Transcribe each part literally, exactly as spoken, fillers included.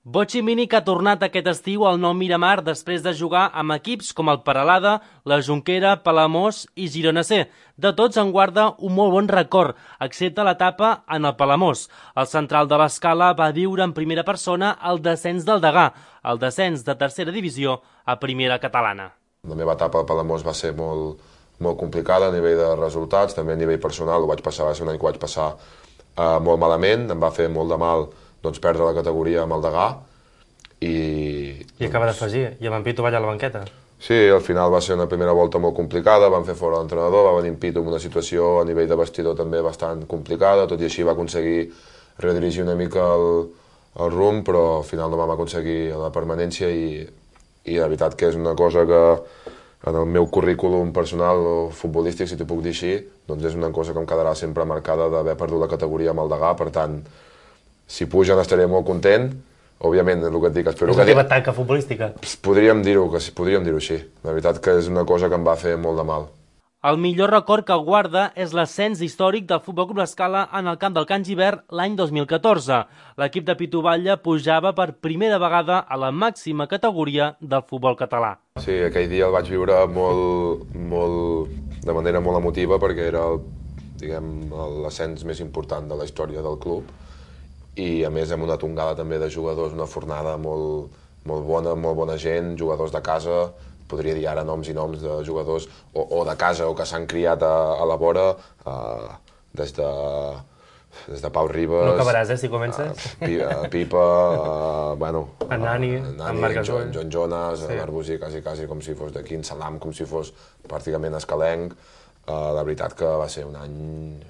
Botxi Mini que ha tornat aquest estiu al nou Miramar després de jugar amb equips com el Peralada, la Jonquera, Palamós i Girona C. De tots en guarda un molt bon record, excepte l'etapa en el Palamós. El central de l'Escala va viure en primera persona el descens del Degà, el descens de tercera divisió a primera catalana. La meva etapa al Palamós va ser molt, molt complicada a nivell de resultats, també a nivell personal, ho vaig passar, va ser un any que ho vaig passar uh, molt malament, em va fer molt de mal doncs, perdre la categoria amb el Degà. I, I acaba d'afegir, i amb en Pitu va allà a la banqueta. Sí, al final va ser una primera volta molt complicada, van fer fora l'entrenador, va venir en Pitu amb una situació a nivell de vestidor també bastant complicada, tot i així va aconseguir redirigir una mica el, el rumb, però al final no vam aconseguir la permanència i, i la veritat que és una cosa que en el meu currículum personal o futbolístic, si t'ho puc dir així, doncs és una cosa que em quedarà sempre marcada d'haver perdut la categoria amb el Degà, per tant, si pugen estaré molt content. Òbviament, el que et dic, espero que... És la teva tanca futbolística? Podríem dir-ho, podríem dir-ho així. La veritat que és una cosa que em va fer molt de mal. El millor record que guarda és l'ascens històric del Futbol Club L'Escala en el camp del Can Gibert l'any dos mil catorze. L'equip de Pitu Batlle pujava per primera vegada a la màxima categoria del futbol català. Sí, aquell dia el vaig viure molt, molt, de manera molt emotiva perquè era el, diguem, l'ascens més important de la història del club. I a més amb una tongada també de jugadors, una fornada molt, molt bona, molt bona gent, jugadors de casa, podria dir ara noms i noms de jugadors o, o de casa o que s'han criat a, a la vora, uh, des, de, des de Pau Ribas... No acabaràs, eh, si comences? Uh, Pipa, uh, bueno... En Nani, en Marc Gasol. En Joan Jonas, sí. en Arbusí, quasi, quasi com si fos d'aquí, en Salam, com si fos pràcticament escalenc. Uh, la veritat que va ser un any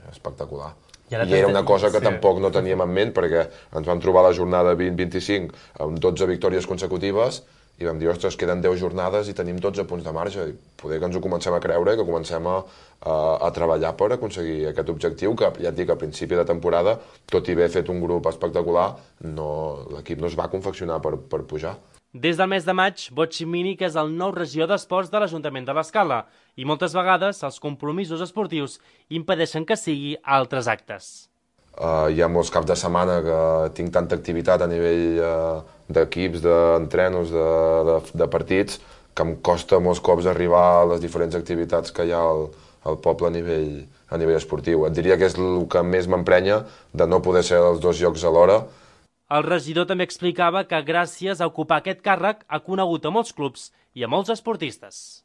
espectacular. I, I era una cosa que sí. tampoc no teníem en ment perquè ens vam trobar la jornada vint vint-i-cinc amb dotze victòries consecutives i vam dir, ostres, queden deu jornades i tenim dotze punts de marge. I poder que ens ho comencem a creure i que comencem a, a, a treballar per aconseguir aquest objectiu que, ja et dic, a principi de temporada, tot i haver fet un grup espectacular, no, l'equip no es va confeccionar per, per pujar. Des del mes de maig, Botxi Mini que és el nou regidor d'esports de l'Ajuntament de l'Escala i moltes vegades els compromisos esportius impedeixen que sigui a altres actes. Uh, hi ha molts caps de setmana que tinc tanta activitat a nivell uh, d'equips, d'entrenos, de, de, de partits, que em costa molts cops arribar a les diferents activitats que hi ha al, al poble a nivell, a nivell esportiu. Et diria que és el que més m'emprenya de no poder ser als dos llocs alhora. El regidor també explicava que gràcies a ocupar aquest càrrec ha conegut a molts clubs i a molts esportistes.